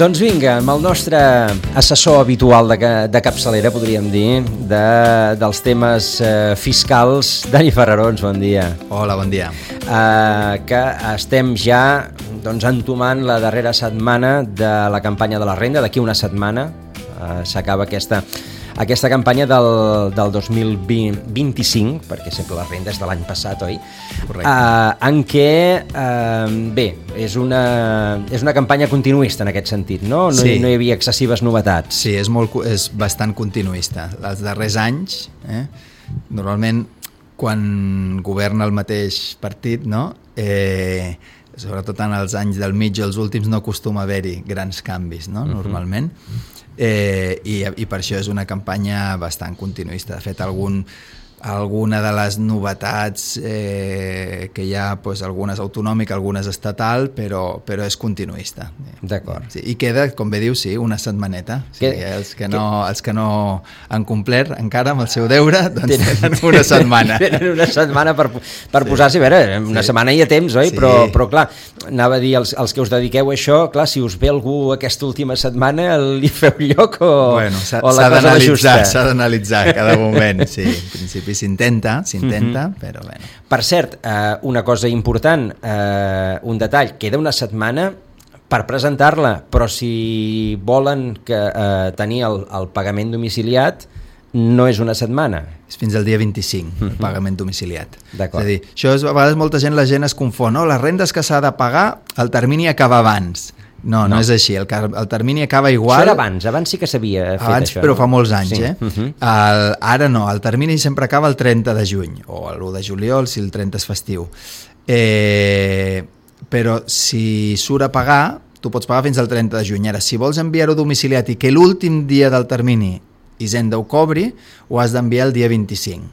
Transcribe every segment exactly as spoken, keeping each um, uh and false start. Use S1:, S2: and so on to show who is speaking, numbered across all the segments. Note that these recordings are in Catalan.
S1: Doncs vinga, amb el nostre assessor habitual de, de capçalera, podríem dir, de, dels temes eh, fiscals, Dani Ferrarons, bon dia.
S2: Hola, bon dia.
S1: Eh, que estem ja doncs, entomant la darrera setmana de la campanya de la renda. D'aquí una setmana eh, s'acaba aquesta... Aquesta campanya del, del dos mil vint-i-cinc, perquè sempre la renda és de l'any passat, oi?
S2: Correcte.
S1: Uh, en què, uh, bé, és una, és una campanya continuista en aquest sentit, no? No,
S2: sí.
S1: hi, no hi havia excessives novetats.
S2: Sí, és, molt, és bastant continuista. Els darrers anys, eh, normalment, quan governa el mateix partit, no? Eh, sobretot en els anys del mig o els últims no acostuma a haver-hi grans canvis, no? Uh-huh. Normalment. Eh, i, i per això és una campanya bastant continuista. De fet, algun, alguna de les novetats eh, que hi ha, pues, algunes autonòmica, algunes estatal, però, però és continuista.
S1: D'acord.
S2: Sí, i queda, com bé diu, sí, una setmaneta. Sí, que, els, que no, que... els que no han complert encara amb el seu deure, doncs tenen, tenen una setmana.
S1: Tenen una setmana per, per sí. posar-s'hi, a veure, una sí. setmana hi ha temps, oi? Sí. Però, però clar, anava a dir, els, els que us dediqueu a això, clar, si us ve algú aquesta última setmana, li feu lloc o,
S2: bueno,
S1: o la cosa va justa?
S2: S'ha d'analitzar cada moment, sí. En principi s'intenta, s'intenta, uh-huh. però bueno.
S1: Per cert, eh, una cosa important, eh, un detall, queda una setmana per presentar-la, però si volen que, eh, tenir el, el pagament domiciliat, no és una setmana.
S2: És fins al dia vint-i-cinc, uh-huh. el pagament domiciliat.
S1: D'acord.
S2: És a dir, això és, a vegades molta gent, la gent es confon, no? Les rendes que s'ha de pagar, el termini acaba abans. No, no, no és així, el, el termini acaba igual.
S1: Això era abans, abans sí que s'havia fet
S2: abans,
S1: això.
S2: Però
S1: no?
S2: fa molts anys,
S1: sí.
S2: eh?
S1: Uh-huh.
S2: El, ara no, el termini sempre acaba el trenta de juny, o l'u de juliol, si el trenta és festiu. Eh, però si surt a pagar, tu pots pagar fins al trenta de juny. Ara, si vols enviar-ho domiciliat i que l'últim dia del termini Hisenda ho cobri, ho has d'enviar el dia vint-i-cinc.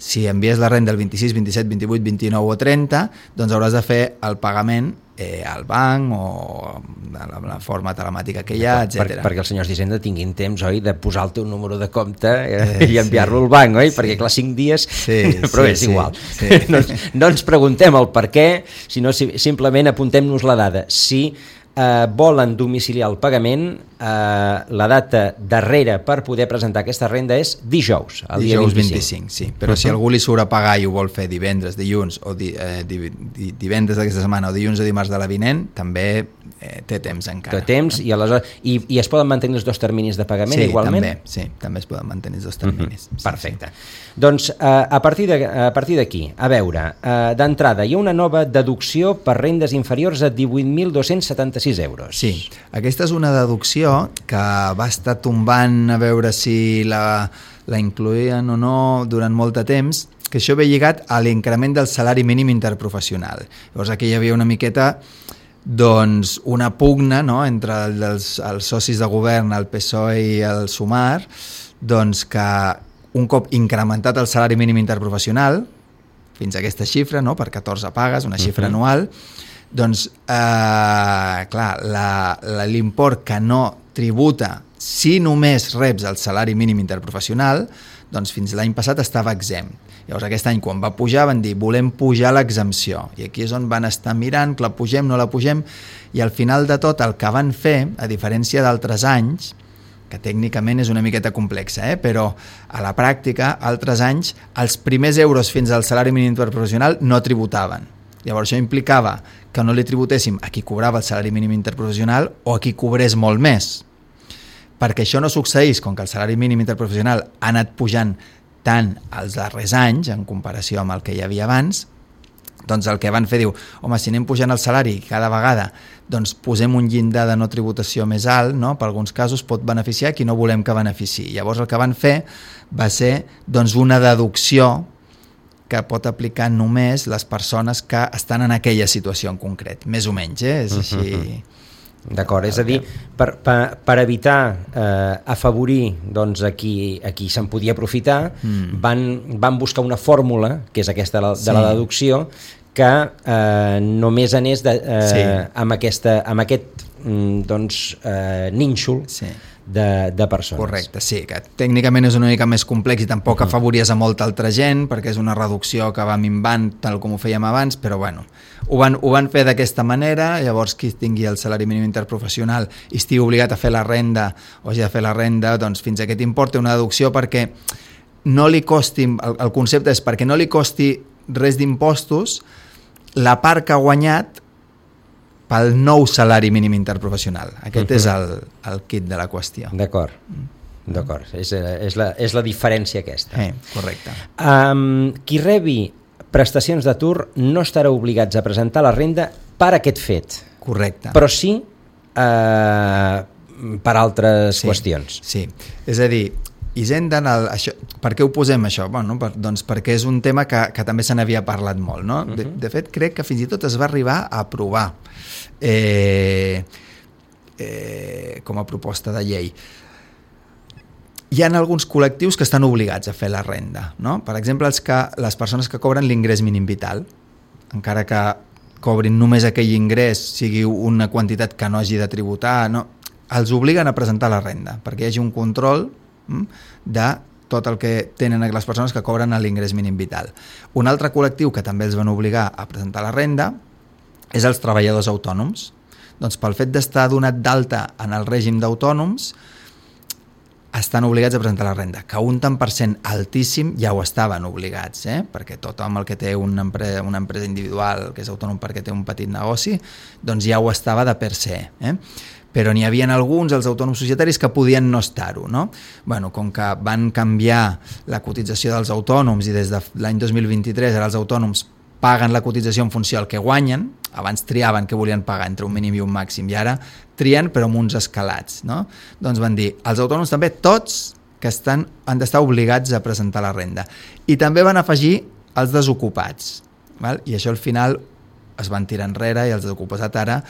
S2: Si envies la renda el vint-i-sis, vint-i-set, vint-i-vuit, vint-i-nou o trenta, doncs hauràs de fer el pagament eh, al banc o de la, la forma telemàtica que hi ha, etcètera.
S1: Per, perquè els senyors d'Hisenda tinguin temps, oi, de posar el teu número de compte eh, i enviar-lo sí, al banc, oi? Sí. Perquè clar, cinc dies, sí, però sí, és igual. Sí, sí. No, no ens preguntem el per què, sinó si, simplement apuntem-nos la dada. Si eh, volen domiciliar el pagament, eh, la data darrere per poder presentar aquesta renda és dijous, el
S2: dijous
S1: dia vint-i-cinc.
S2: vint-i-cinc, sí. Però uh-huh. si algú li surt a pagar i ho vol fer divendres, dilluns, o di, eh, di, di, divendres d'aquesta setmana o dilluns o dimarts de la vinent, també eh, té temps encara.
S1: Té temps i aleshores... I, i es poden mantenir els dos terminis de pagament
S2: sí,
S1: igualment?
S2: També, sí, també es poden mantenir els dos terminis. Uh-huh.
S1: Sí, perfecte. Sí. Doncs eh, a partir de, a partir d'aquí, a veure, eh, d'entrada hi ha una nova deducció per rendes inferiors a divuit mil dos-cents setanta-sis euros.
S2: Sí, aquesta és una deducció que va estar tombant a veure si la, la incloïen o no durant molt de temps, que això ve lligat a l'increment del salari mínim interprofessional. Llavors aquí hi havia una miqueta doncs una pugna, no?, entre els, els socis de govern, el P S O E i el Sumar, doncs que un cop incrementat el salari mínim interprofessional, fins a aquesta xifra, no?, per catorze pagues, una xifra uh-huh. anual, doncs, eh, clar, la, la, l'import que no tributa si només reps el salari mínim interprofessional, doncs fins l'any passat estava exempt. Llavors aquest any quan va pujar van dir volem pujar l'exempció i aquí és on van estar mirant que la pugem, no la pugem i al final de tot el que van fer, a diferència d'altres anys, que tècnicament és una miqueta complexa, eh? Però a la pràctica, altres anys, els primers euros fins al salari mínim interprofessional no tributaven. Llavors això implicava que no li tributéssim a qui cobrava el salari mínim interprofessional o a qui cobrés molt més. Perquè això no succeís, com que el salari mínim interprofessional ha anat pujant tant els darrers anys en comparació amb el que hi havia abans, doncs el que van fer diu, home, si anem pujant el salari cada vegada, doncs posem un llindar de no tributació més alt, no? Per alguns casos pot beneficiar qui no volem que beneficiï. Llavors el que van fer va ser doncs, una deducció que pot aplicar només les persones que estan en aquella situació en concret, més o menys, eh? És així... Uh-huh.
S1: D'acord, és a dir, per, per, per evitar eh, afavorir doncs, a qui, a qui se'n podia aprofitar, mm. van, van buscar una fórmula, que és aquesta de la, sí. de la deducció, que eh, només anés de, eh, sí. amb, aquesta, amb aquest doncs, eh, nínxol sí. de, de persones.
S2: Correcte, sí, que tècnicament és una mica més complex i tampoc uh-huh. afavories a molta altra gent, perquè és una reducció que va minvant tal com ho fèiem abans, però bueno, ho van, ho van fer d'aquesta manera. Llavors qui tingui el salari mínim interprofessional i estigui obligat a fer la renda o hagi de fer la renda, doncs fins a aquest import té una deducció perquè no li costi, el, el concepte és perquè no li costi res d'impostos la part que ha guanyat pel nou salari mínim interprofessional. Aquest uh-huh. és el, el kit de la qüestió.
S1: D'acord, d'acord. És, és, la, és la diferència aquesta.
S2: Eh, correcte.
S1: Um, qui rebi prestacions d'atur no estarà obligats a presentar la renda per aquest fet.
S2: Correcte.
S1: Però sí eh, per altres
S2: sí,
S1: qüestions.
S2: Sí, és a dir, Hisenda, això, per què ho posem això? Bueno, per, doncs perquè és un tema que, que també se n'havia parlat molt, no? De, de fet, crec que fins i tot es va arribar a aprovar eh, eh, com a proposta de llei. Hi ha alguns col·lectius que estan obligats a fer la renda, no? Per exemple, els que, les persones que cobren l'ingrés mínim vital, encara que cobrin només aquell ingrés, sigui una quantitat que no hagi de tributar, no? Els obliguen a presentar la renda, perquè hi hagi un control de tot el que tenen les persones que cobren l'ingrés mínim vital. Un altre col·lectiu que també els van obligar a presentar la renda és els treballadors autònoms. Doncs pel fet d'estar donat d'alta en el règim d'autònoms estan obligats a presentar la renda, que un tant per cent altíssim ja ho estaven obligats, eh? Perquè tothom el que té una empresa, una empresa individual, que és autònom perquè té un petit negoci, doncs ja ho estava de per se, eh? Però n'hi havia alguns, els autònoms societaris, que podien no estar-ho, no? Bueno, com que van canviar la cotització dels autònoms i des de l'any dos mil vint-i-tres ara els autònoms paguen la cotització en funció del que guanyen, abans triaven què volien pagar entre un mínim i un màxim, i ara trien però amb uns escalats, no? Doncs van dir, els autònoms també, tots que estan, han d'estar obligats a presentar la renda. I també van afegir els desocupats, val? I això al final es van tirar enrere i els desocupats ara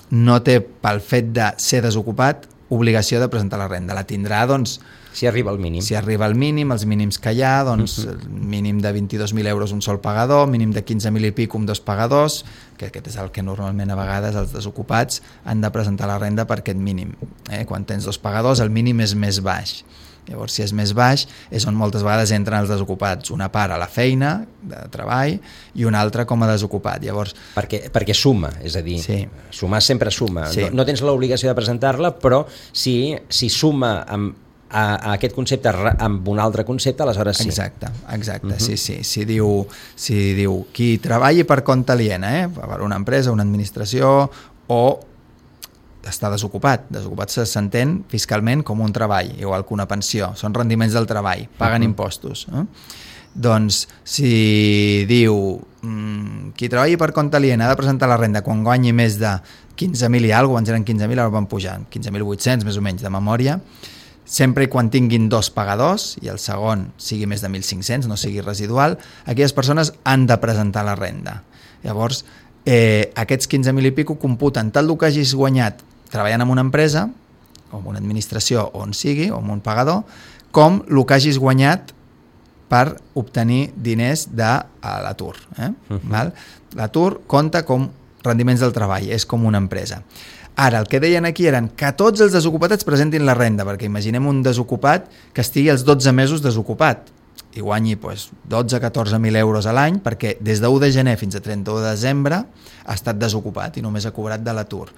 S2: no té, pel fet de ser desocupat, obligació de presentar la renda. La tindrà, doncs,
S1: si arriba al mínim.
S2: Si arriba al mínim, els mínims que hi ha, doncs, uh-huh. mínim de vint-i-dos mil euros un sol pagador, mínim de quinze mil i pic un dos pagadors, que aquest és el que normalment a vegades els desocupats han de presentar la renda per aquest mínim. Eh? Quan tens dos pagadors, el mínim és més baix. Llavors, si és més baix, és on moltes vegades entren els desocupats. Una part a la feina, de treball, i una altra com a desocupat. Llavors,
S1: perquè, perquè suma, és a dir, sí. sumar sempre suma. Sí. No, no tens l'obligació de presentar-la, però si, si suma amb, a, a aquest concepte amb un altre concepte, aleshores sí.
S2: Exacte, exacte, uh-huh. sí, sí. Si diu, si diu qui treballi per compte aliena, eh? Per una empresa, una administració, o està desocupat. Desocupat s'entén fiscalment com un treball, igual que una pensió. Són rendiments del treball, paguen uh-huh. impostos. Eh? Doncs, si diu mmm, qui treballi per compte aliena ha de presentar la renda quan guanyi més de quinze mil i alguna cosa, abans eren quinze mil, ara van pujar, quinze mil vuit-cents més o menys de memòria, sempre i quan tinguin dos pagadors i el segon sigui més de mil cinc-cents, no sigui residual, aquelles persones han de presentar la renda. Llavors, eh, aquests quinze mil i pico computen tant el que hagis guanyat treballant en una empresa, o en una administració, on sigui, o en un pagador, com el que hagis guanyat per obtenir diners de l'atur. Eh? Uh-huh. Val? L'atur compta com rendiments del treball, és com una empresa. Ara, el que deien aquí eren que tots els desocupats presentin la renda, perquè imaginem un desocupat que estigui els dotze mesos desocupat i guanyi doncs, dotze a catorze mil euros a l'any, perquè des de u de gener fins a trenta-u de desembre ha estat desocupat i només ha cobrat de l'atur.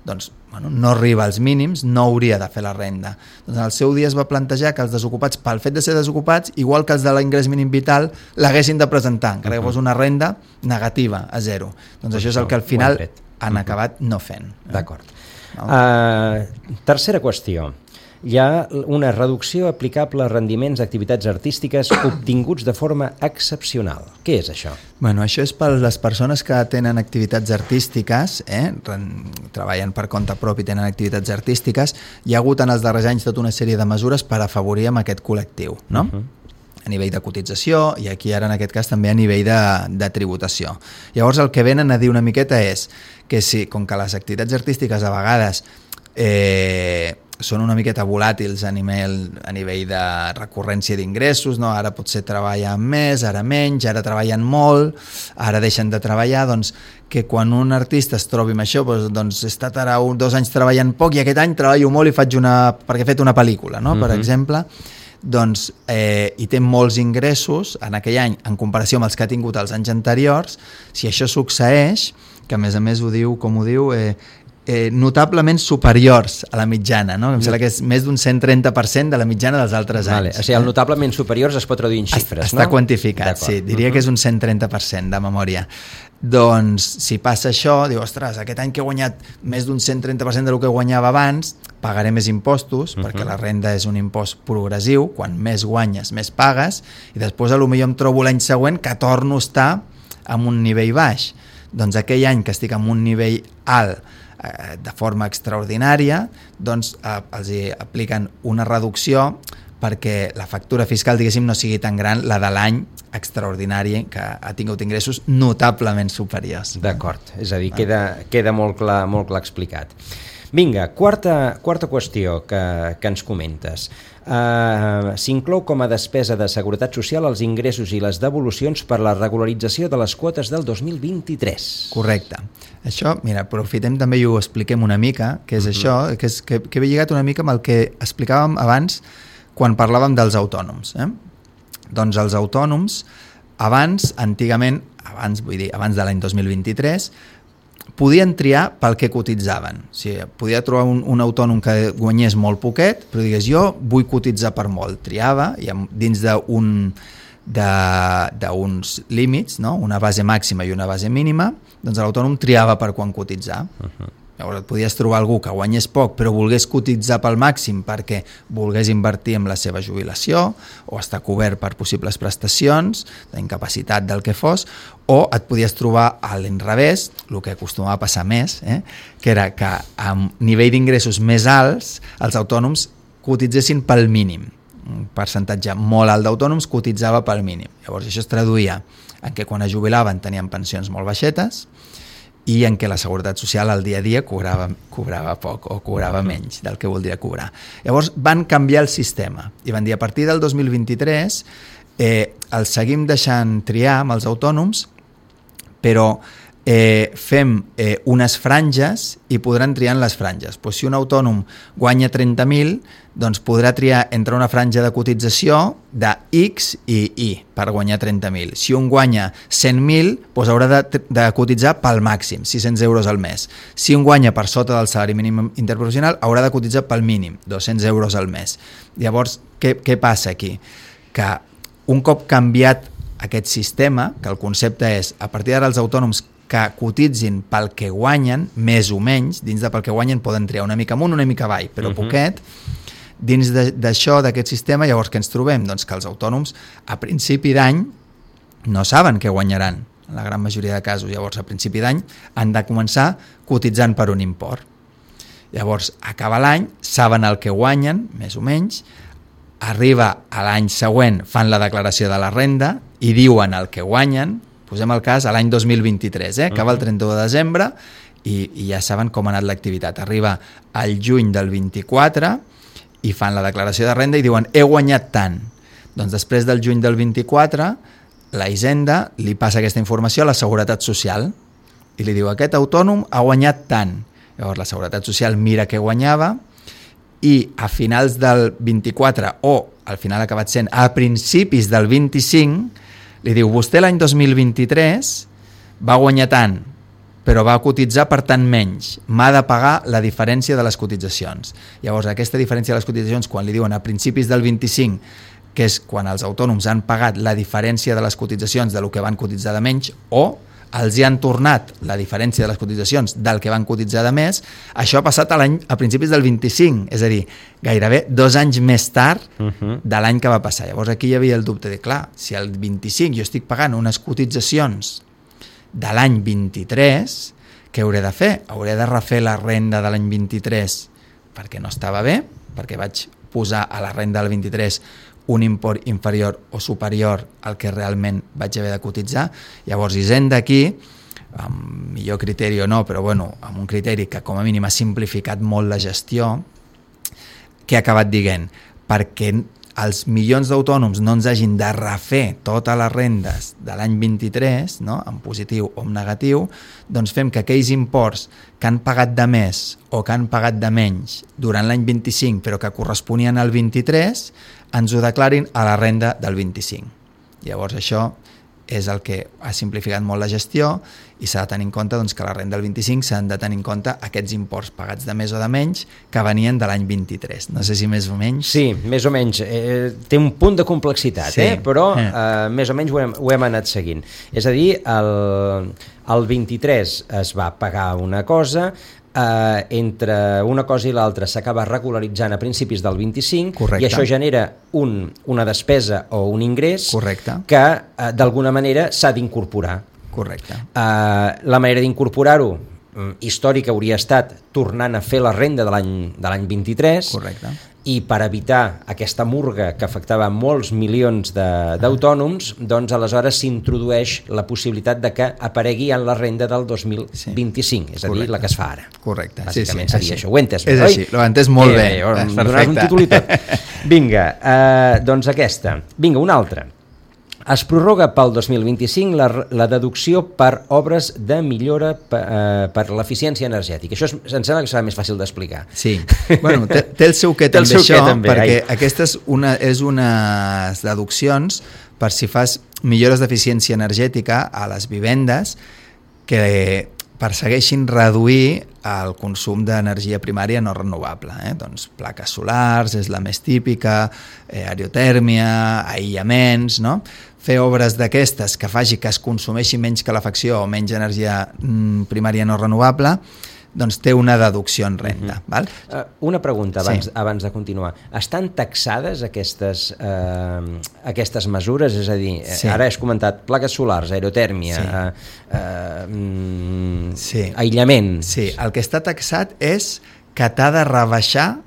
S2: Doncs bueno, no arriba als mínims, no hauria de fer la renda. Doncs en el seu dia es va plantejar que els desocupats, pel fet de ser desocupats, igual que els de l'ingrés mínim vital, l'haguessin de presentar, encara que fos una renda negativa, a zero. Doncs això és el que al final han acabat no fent. Eh?
S1: D'acord. No? Uh, tercera qüestió. Hi ha una reducció aplicable a rendiments d'activitats artístiques obtinguts de forma excepcional. Què és això?
S2: Bueno, això és per les persones que tenen activitats artístiques, eh? treballen per compte propi i tenen activitats artístiques. Hi ha hagut en els darrers anys tota una sèrie de mesures per afavorir amb aquest col·lectiu, no? Uh-huh. A nivell de cotització i aquí ara en aquest cas també a nivell de, de tributació. Llavors el que venen a dir una miqueta és que si, com que les activitats artístiques a vegades eh, són una miqueta volàtils a nivell, a nivell de recurrència d'ingressos, no? Ara potser treballen més, ara menys, ara treballen molt, ara deixen de treballar, doncs que quan un artista es trobi amb això, doncs, doncs he estat ara un, dos anys treballant poc i aquest any treballo molt i faig una, perquè he fet una pel·lícula, no? Uh-huh. Per exemple, doncs, eh, i té molts ingressos en aquell any en comparació amb els que ha tingut els anys anteriors. Si això succeeix, que a més a més ho diu, com ho diu, eh, eh, notablement superiors a la mitjana, no? Em sembla que és més d'un cent trenta per cent de la mitjana dels altres
S1: vale.
S2: anys.
S1: O sigui, el notablement superiors es pot traduir en xifres,
S2: Està
S1: no?
S2: quantificat, sí, diria uh-huh. que és un cent trenta per cent de memòria. Doncs si passa això, diu, ostres, aquest any que he guanyat més d'un cent trenta per cent del que guanyava abans, pagaré més impostos, uh-huh. perquè la renda és un impost progressiu, quan més guanyes, més pagues, i després a lo millor em trobo l'any següent que torno a estar en un nivell baix. Doncs aquell any que estic en un nivell alt eh, de forma extraordinària, doncs eh, els hi apliquen una reducció perquè la factura fiscal, diguéssim, no sigui tan gran la de l'any extraordinari que ha tingut ingressos notablement superiors.
S1: D'acord, és a dir, queda, queda molt clar, molt clar explicat. Vinga, quarta, quarta qüestió que, que ens comentes. Uh, s'inclou com a despesa de Seguretat Social els ingressos i les devolucions per la regularització de les quotes del dos mil vint-i-tres.
S2: Correcte. Això, mira, aprofitem també i ho expliquem una mica, que és uh-huh. això, que, és, que, que ve lligat una mica amb el que explicàvem abans quan parlàvem dels autònoms. Eh? Doncs els autònoms, abans, antigament, abans, vull dir, abans de l'any dos mil vint-i-tres, podien triar pel que cotitzaven. O sigui, podia trobar un, un autònom que guanyés molt poquet, però digués, jo vull cotitzar per molt. Triava, i dins d'un d'uns límits, no? Una base màxima i una base mínima, doncs l'autònom triava per quan cotitzar. Uh-huh. Llavors et podies trobar algú que guanyés poc però volgués cotitzar pel màxim perquè volgués invertir en la seva jubilació o estar cobert per possibles prestacions d'incapacitat del que fos, o et podies trobar a l'inrevés, el que acostumava a passar més, eh? que era que amb nivell d'ingressos més alts els autònoms cotitzessin pel mínim. Un percentatge molt alt d'autònoms cotitzava pel mínim. Llavors això es traduïa en que quan es jubilaven tenien pensions molt baixetes i en què la Seguretat Social al dia a dia cobrava, cobrava poc o cobrava menys del que voldria cobrar. Llavors van canviar el sistema i van dir a partir del dos mil vint-i-tres eh, els seguim deixant triar amb els autònoms, però eh, fem eh, unes franges i podran triar en les franges. Pues si un autònom guanya trenta mil, doncs podrà triar entre una franja de cotització de X i Y per guanyar trenta mil. Si un guanya cent mil, doncs haurà de, de cotitzar pel màxim, sis-cents euros al mes. Si un guanya per sota del salari mínim interprofessional, haurà de cotitzar pel mínim, dos-cents euros al mes. Llavors, què, què passa aquí? Que un cop canviat aquest sistema, que el concepte és, a partir d'ara els autònoms que cotitzin pel que guanyen, més o menys, dins de pel que guanyen poden triar una mica amunt, una mica avall, però uh-huh. poquet, dins d'això, d'aquest sistema, llavors què ens trobem? Doncs que els autònoms a principi d'any no saben què guanyaran, en la gran majoria de casos. Llavors a principi d'any han de començar cotitzant per un import. Llavors acaba l'any, saben el que guanyen, més o menys, arriba a l'any següent, fan la declaració de la renda i diuen el que guanyen. Posem el cas a l'any dos mil vint-i-tres, eh? Acaba el trenta-u de desembre i, i ja saben com ha anat l'activitat. Arriba al juny del vint-i-quatre i fan la declaració de renda i diuen he guanyat tant. Doncs després del juny del vint-i-quatre la Hisenda li passa aquesta informació a la Seguretat Social i li diu aquest autònom ha guanyat tant. Llavors la Seguretat Social mira què guanyava i a finals del vint-i-quatre o al final ha acabat sent a principis del vint-i-cinc li diu, vostè l'any dos mil vint-i-tres va guanyar tant, però va cotitzar per tant menys. M'ha de pagar la diferència de les cotitzacions. Llavors, aquesta diferència de les cotitzacions, quan li diuen a principis del vint-i-cinc, que és quan els autònoms han pagat la diferència de les cotitzacions de lo que van cotitzar de menys, o els hi han tornat la diferència de les cotitzacions del que van cotitzar de més, això ha passat a, l'any, a principis del vint-i-cinc, és a dir, gairebé dos anys més tard uh-huh. de l'any que va passar. Llavors aquí hi havia el dubte de, clar, si al vint-i-cinc jo estic pagant unes cotitzacions de l'any vint-i-tres, què hauré de fer? Hauré de refer la renda de l'any vint-i-tres perquè no estava bé, perquè vaig posar a la renda del vint-i-tres un import inferior o superior al que realment vaig haver de cotitzar. Llavors Hisenda aquí, amb millor criteri o no, però bueno, amb un criteri que com a mínim ha simplificat molt la gestió, què ha acabat dient? Perquè els milions d'autònoms no ens hagin de refer totes les rendes de l'any vint-i-tres, no? En positiu o en negatiu, doncs fem que aquells imports que han pagat de més o que han pagat de menys durant l'any vint-i-cinc però que corresponien al vint-i-tres ens ho declarin a la renda del vint-i-cinc. Llavors això és el que ha simplificat molt la gestió i s'ha de tenir en compte doncs, que a la renda del vint-i-cinc s'han de tenir en compte aquests imports pagats de més o de menys que venien de l'any vint-i-tres. No sé si més o menys...
S1: Sí, més o menys. Eh, té un punt de complexitat, sí. eh? però eh. Eh, més o menys ho hem, ho hem anat seguint. És a dir, el, el vint-i-tres es va pagar una cosa, Uh, entre una cosa i l'altra s'acaba regularitzant a principis del vint-i-cinc. Correcte. I això genera un, una despesa o un ingrés. Correcte. Que uh, d'alguna manera s'ha d'incorporar.
S2: Correcte.
S1: Uh, la manera d'incorporar-ho um, històrica hauria estat tornant a fer la renda de l'any de l'any vint-i-tres.
S2: Correcte.
S1: I per evitar aquesta murga que afectava molts milions d'autònoms, doncs aleshores s'introdueix la possibilitat de que aparegui en la renda del dos mil vint-i-cinc, sí. és a dir, Correcte. La que es fa ara.
S2: Correcte.
S1: Bàsicament
S2: sí, sí,
S1: seria
S2: així.
S1: això. Ho he entès,
S2: és
S1: oi?
S2: així, l'ho he entès molt eh, bé.
S1: Eh, Donar un títol i tot. Vinga, eh, doncs aquesta. Vinga, una altra. Es prorroga pel dos mil vint-i-cinc la, la deducció per obres de millora per, eh, per l'eficiència energètica. Això és, em sembla que serà més fàcil d'explicar.
S2: Sí, bueno, té, té el seu què també
S1: seu
S2: això,
S1: què, també.
S2: perquè
S1: Ai.
S2: aquesta és, una, és unes deduccions per si fas millores d'eficiència energètica a les vivendes que persegueixin reduir el consum d'energia primària no renovable. Eh? Doncs plaques solars és la més típica, eh, aerotèrmia, aïllaments, no? Fer obres d'aquestes que faci que es consumeixi menys calefacció o menys energia mm, primària no renovable, doncs té una deducció en renda. Uh-huh. Val?
S1: Uh, una pregunta abans,
S2: sí.
S1: abans de continuar. Estan taxades aquestes, uh, aquestes mesures? És a dir, sí. ara has comentat plaques solars, aerotèrmia, sí. uh, uh, mm, sí. aïllament.
S2: Sí, el que està taxat és que t'ha de rebaixar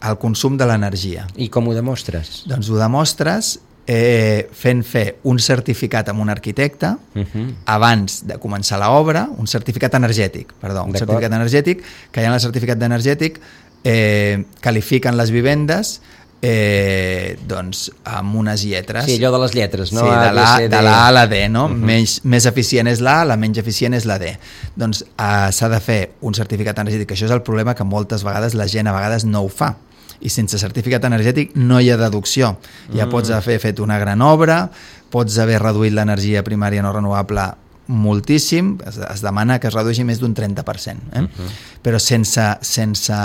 S2: el consum de l'energia.
S1: I com ho demostres?
S2: Doncs ho demostres Eh, fent fer un certificat amb un arquitecte uh-huh. abans de començar l'obra, un certificat energètic, perdó, un certificat energètic, que ja en el certificat energètic eh, qualifiquen les vivendes eh, doncs amb unes lletres.
S1: Sí, allò de les lletres, no?
S2: Sí, de la, de la A a la D, no? Uh-huh. Més, més eficient és la A, la menys eficient és la D. Doncs eh, s'ha de fer un certificat energètic, això és el problema que moltes vegades la gent a vegades no ho fa. I sense certificat energètic no hi ha deducció. Ja mm. pots haver fet una gran obra, pots haver reduït l'energia primària no renovable moltíssim, es, es demana que es redueixi més d'un trenta per cent. Eh? Mm-hmm. Però sense, sense...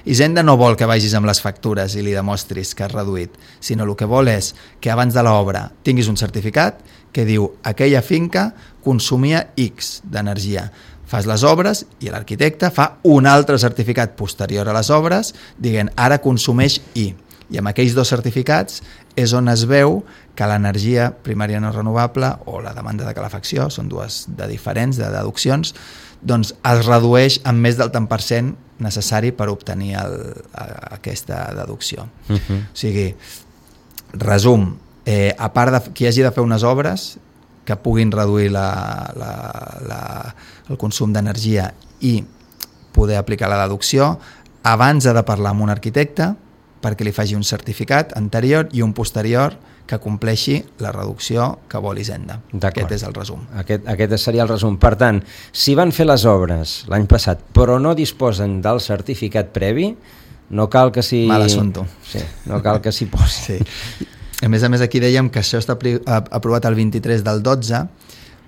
S2: Hisenda no vol que vagis amb les factures i li demostris que has reduït, sinó el que vol és que abans de l'obra tinguis un certificat que diu aquella finca consumia X d'energia. Fas les obres i l'arquitecte fa un altre certificat posterior a les obres dient ara consumeix I. I amb aquells dos certificats és on es veu que l'energia primària no renovable o la demanda de calefacció, són dues de diferents, de deduccions, doncs es redueix amb més del tant per cent necessari per obtenir el, a, aquesta deducció. Uh-huh. O sigui, resum, eh, a part de qui hagi de fer unes obres que puguin reduir la, la, la, el consum d'energia i poder aplicar la deducció, abans ha de parlar amb un arquitecte perquè li faci un certificat anterior i un posterior que compleixi la reducció que vol Hisenda. Aquest és el resum.
S1: Aquest, aquest seria el resum. Per tant, si van fer les obres l'any passat però no disposen del certificat previ, no cal que s'hi...
S2: Mal assunto.
S1: Sí, no cal que s'hi posi.
S2: Sí. A més a més, aquí dèiem que això està aprovat el vint-i-tres del dotze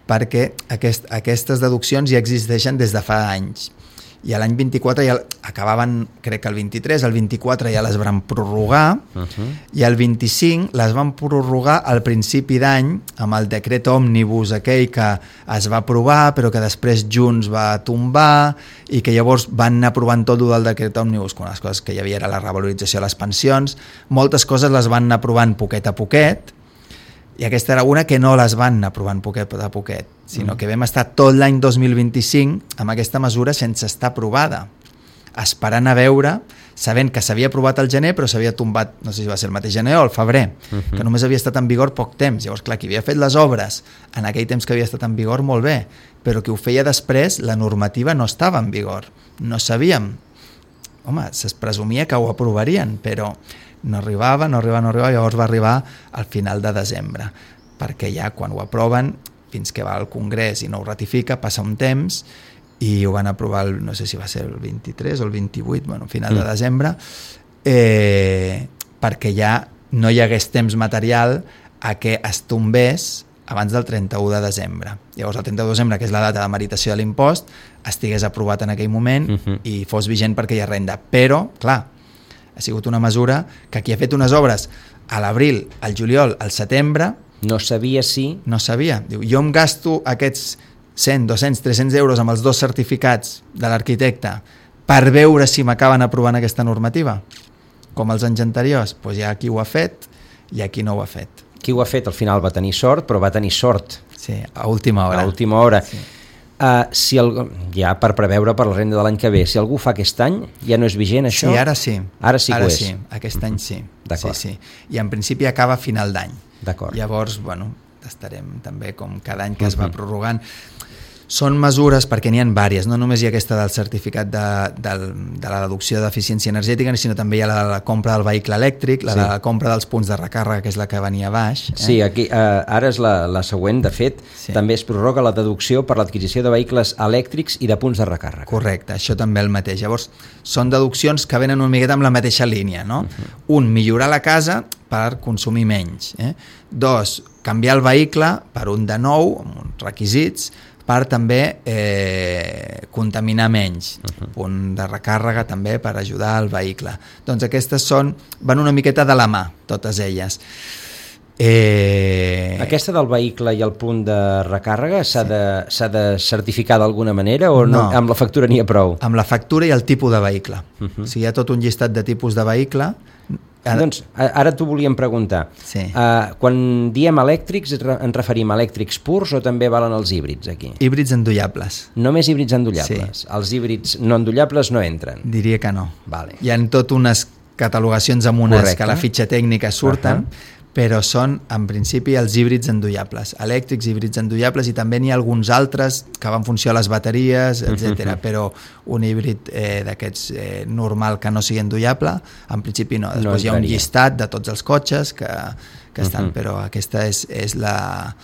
S2: perquè aquest, aquestes deduccions ja existeixen des de fa anys. I l'any vint-i-quatre ja acabaven, crec que el vint-i-tres, el vint-i-quatre ja les van prorrogar, uh-huh. i el vint-i-cinc les van prorrogar al principi d'any amb el decret òmnibus aquell que es va aprovar però que després Junts va tombar i que llavors van anar aprovant tot el del decret òmnibus, quan les coses que hi havia era la revalorització de les pensions, moltes coses les van anar aprovant poquet a poquet i aquesta era una que no les van anar aprovant poquet a poquet, sinó que vam estar tot l'any dos mil vint-i-cinc amb aquesta mesura sense estar aprovada, esperant a veure, sabent que s'havia aprovat al gener però s'havia tombat, no sé si va ser el mateix gener o el febrer, uh-huh. que només havia estat en vigor poc temps. Llavors, clar, qui havia fet les obres en aquell temps que havia estat en vigor, molt bé, però qui ho feia després, la normativa no estava en vigor, no sabíem home, es presumia que ho aprovarien, però no arribava, no arribava, no arribava, llavors va arribar al final de desembre, perquè ja quan ho aproven, fins que va al Congrés i no ho ratifica, passa un temps i ho van aprovar, el, no sé si va ser el vint-i-tres o el vint-i-vuit, bueno, final mm. de desembre, eh, perquè ja no hi hagués temps material a que es tombés abans del trenta-u de desembre. Llavors el trenta-u de desembre, que és la data de meritació de l'impost, estigués aprovat en aquell moment uh-huh. i fos vigent perquè hi ha renda. Però, clar, ha sigut una mesura que qui ha fet unes obres a l'abril, al juliol, al setembre...
S1: No sabia si...
S2: No sabia. Diu, jo em gasto aquests cent, dos-cents, tres-cents euros amb els dos certificats de l'arquitecte per veure si m'acaben aprovant aquesta normativa. Com els anys anteriors, doncs hi ha qui ho ha fet i hi ha qui no ho ha fet.
S1: Qui ho ha fet al final va tenir sort, però va tenir sort.
S2: Sí, a última hora.
S1: A última hora. Sí. Uh, si el, ja per preveure per la renda de l'any que ve, si algú fa aquest any, ja no és vigent això?
S2: Sí, ara sí.
S1: Ara sí que
S2: ara
S1: ho és.
S2: Sí, aquest any sí.
S1: D'acord.
S2: Sí, sí. I en principi acaba a final d'any.
S1: D'acord.
S2: Llavors, bueno, estarem també com cada any que es va prorrogant. Són mesures, perquè n'hi ha vàries, no només hi ha aquesta del certificat de, de, de la deducció d'eficiència energètica, sinó també hi ha la de la compra del vehicle elèctric, la sí. de la compra dels punts de recàrrega, que és la que venia a baix. Eh?
S1: Sí, aquí, eh, ara és la, la següent, de fet, sí. també es prorroga la deducció per l'adquisició de vehicles elèctrics i de punts de recàrrega.
S2: Correcte, això també el mateix. Llavors, són deduccions que venen una miqueta amb la mateixa línia, no? Uh-huh. Un, millorar la casa per consumir menys. Eh? Dos, canviar el vehicle per un de nou, amb uns requisits, per també eh, contaminar menys. Uh-huh. Punt de recàrrega també per ajudar al vehicle. Doncs aquestes són, van una miqueta de la mà, totes elles. Eh...
S1: Aquesta del vehicle i el punt de recàrrega s'ha sí. de, s'ha de certificar d'alguna manera o no. No, amb la factura n'hi ha prou?
S2: Amb la factura i el tipus de vehicle. Uh-huh. O sigui, hi ha tot un llistat de tipus de vehicle.
S1: Ara... Doncs ara t'ho volíem preguntar.
S2: Sí.
S1: Uh, quan diem elèctrics, ens referim a elèctrics purs o també valen els híbrids aquí?
S2: Híbrids endollables.
S1: Només híbrids endollables? Sí. Els híbrids no endollables no entren?
S2: Diria que no.
S1: Vale.
S2: Hi ha tot unes catalogacions amb unes
S1: Correcte.
S2: Que a la fitxa tècnica surten, uh-huh. però són, en principi, els híbrids endollables. Elèctrics, híbrids endollables, i també n'hi ha alguns altres que van funcionar a les bateries, etcètera. Uh-huh. Però un híbrid eh, d'aquests eh, normal que no sigui endollable, en principi no. Després no hi ha un llistat de tots els cotxes que, que estan, uh-huh. però aquesta és, és, la,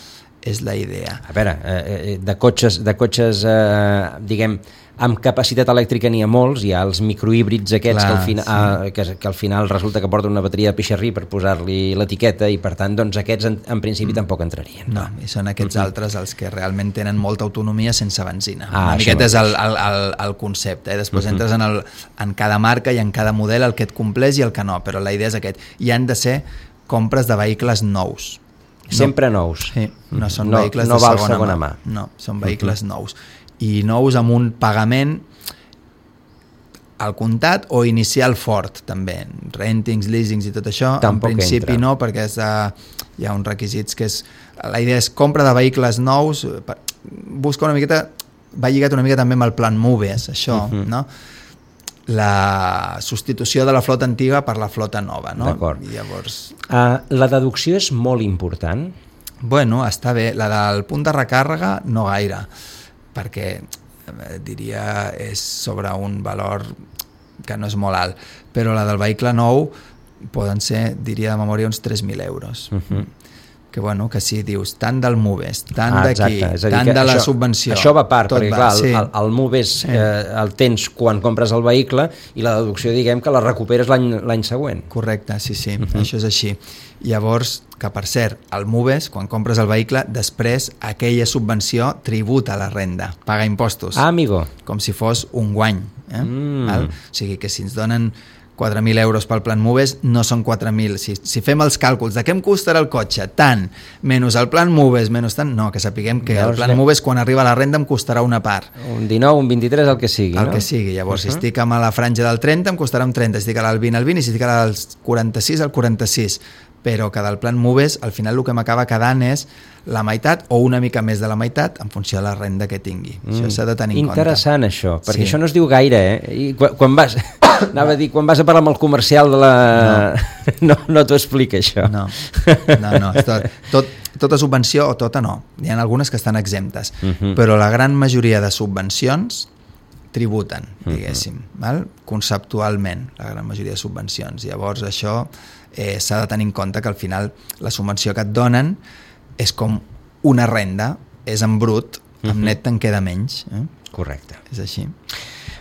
S2: és la idea.
S1: A veure, eh, de cotxes, de cotxes eh, diguem, amb capacitat elèctrica n'hi ha molts, hi ha els microhíbrids aquests Clar, que, al final, sí. ah, que, que al final resulta que porten una bateria de pixarrí per posar-li l'etiqueta i per tant doncs aquests en, en principi mm. tampoc entrarien.
S2: No, i són aquests mm-hmm. altres els que realment tenen molta autonomia sense benzina.
S1: Ah,
S2: una miqueta és el, el, el, el concepte, eh? Després mm-hmm. entres en, el, en cada marca i en cada model el que et compleix i el que no, però la idea és aquest. I han de ser compres de vehicles nous.
S1: Sempre no, nous.
S2: Sí, no són
S1: no,
S2: vehicles
S1: no
S2: de segona,
S1: segona mà.
S2: mà. No, són vehicles mm-hmm. nous. I nous amb un pagament al comptat o inicial fort també, rentings, leasings i tot això.
S1: Tampoc
S2: en principi
S1: entra.
S2: No, perquè és de, hi ha uns requisits que és, la idea és compra de vehicles nous, busca una miqueta, va lligat una mica també amb el plan Moves, això, uh-huh. no? La substitució de la flota antiga per la flota nova, no?
S1: D'acord.
S2: I llavors...
S1: Uh, la deducció és molt important?
S2: Bueno, està bé, la del punt de recàrrega no gaire, perquè eh, diria és sobre un valor que no és molt alt, però la del vehicle nou poden ser, diria de memòria, uns tres mil euros. Uh-huh. Que bueno, que si dius tant del Moves, tant ah, d'aquí, tant de la
S1: això,
S2: subvenció...
S1: Això va a part, perquè
S2: va,
S1: clar,
S2: sí.
S1: el, el Moves
S2: sí.
S1: eh, el tens quan compres el vehicle i la deducció, diguem, que la recuperes l'any, l'any següent.
S2: Correcte, sí, sí, uh-huh. això és així. Llavors, que per cert, el Moves, quan compres el vehicle, després aquella subvenció tributa la renda, paga impostos.
S1: Ah, amigo.
S2: Com si fos un guany. Eh?
S1: Mm.
S2: Val? O sigui que si ens donen quatre mil euros pel plan Moves, no són quatre mil. Si, si fem els càlculs de què em costarà el cotxe, tant, menys el plan Moves, menys tant, no, que sapiguem que llavors, el plan Moves quan arriba a la renda em costarà una part.
S1: Un dinou, un vint-i-tres, el que sigui,
S2: el
S1: no?
S2: El que sigui. Llavors, uh-huh. si estic a la franja del trenta, em costarà un trenta, si estic al vint, al vint, i si estic al quaranta-sis, al quaranta-sis. Però que del plan Moves, al final el que m'acaba quedant és la meitat o una mica més de la meitat en funció de la renda que tingui. Mm. Això s'ha de tenir en compte.
S1: Interessant, això, perquè
S2: sí.
S1: això no es diu gaire, eh? I quan, quan vas... Anava a dir, quan vas a parlar amb el comercial de la... No, no, no t'ho explica, això.
S2: No, no, no. Tot, tot, tota subvenció, o tota no. Hi ha algunes que estan exemptes. Uh-huh. Però la gran majoria de subvencions tributen, diguéssim, uh-huh. val? Conceptualment, la gran majoria de subvencions. Llavors això eh, s'ha de tenir en compte que al final la subvenció que et donen és com una renda, és en brut, amb uh-huh. net te'n queda menys. Eh?
S1: Correcte.
S2: És així.